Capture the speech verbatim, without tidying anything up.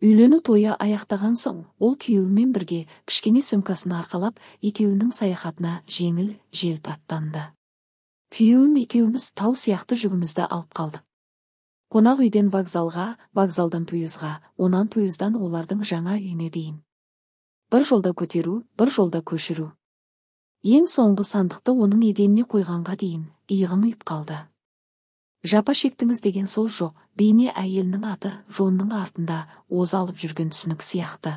Үйлөнүү тою аяктаган соң, ол күйөөү менен бирге кичкене сөмкасын аркалап, экөөүнүн саякатына жеңил желп аттанды. Күйөөүм экөөбүз тау сыяктуу жүгүмүздү алып калдык. Конак үйдөн вокзалга, вокзалдан поездга, онан поезддан олардын жаңа үйүнө дейин. Бир жолда көтөрүү, бир жолда көчүрүү. Эң соңку сандыкты онун эденине койганга дейин ыйыгым үйүп калды. Жапа шектиңиз деген сөз жок, бейне айелинин аты Жоннун артында ооз алып жүргөн түсүнүк сыяктуу.